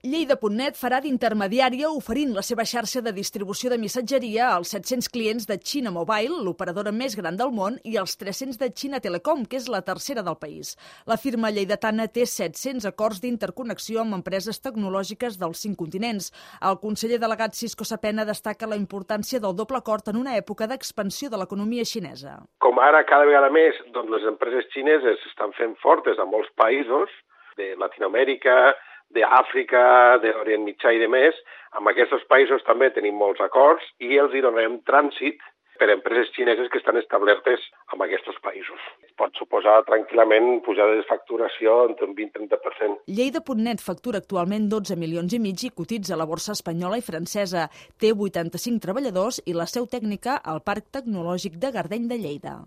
Lleida.net farà d'intermediària oferint la seva xarxa de distribució de missatgeria als 700 clients de Xina Mobile, l'operadora més gran del món, i als 300 de Xina Telecom, que és la tercera del país. La firma lleidatana té 700 acords d'interconnexió amb empreses tecnològiques dels 5 continents. El conseller delegat Cisco Sapena destaca la importància del doble acord en una època d'expansió de l'economia xinesa. Com ara cada vegada més, les empreses xineses estan fent fortes a molts països de Latinoamèrica, d'Àfrica, d'Orient Mitjà i de més. Amb aquests països també tenim molts acords i els hi donem trànsit per a empreses xineses que estan establertes en aquests països. Pot suposar tranquil·lament pujada de facturació entre un 20-30%. Lleida.net factura actualment 12 milions i mig i cotitza a la borsa espanyola i francesa. Té 85 treballadors i la seu tècnica al Parc Tecnològic de Gardeny de Lleida.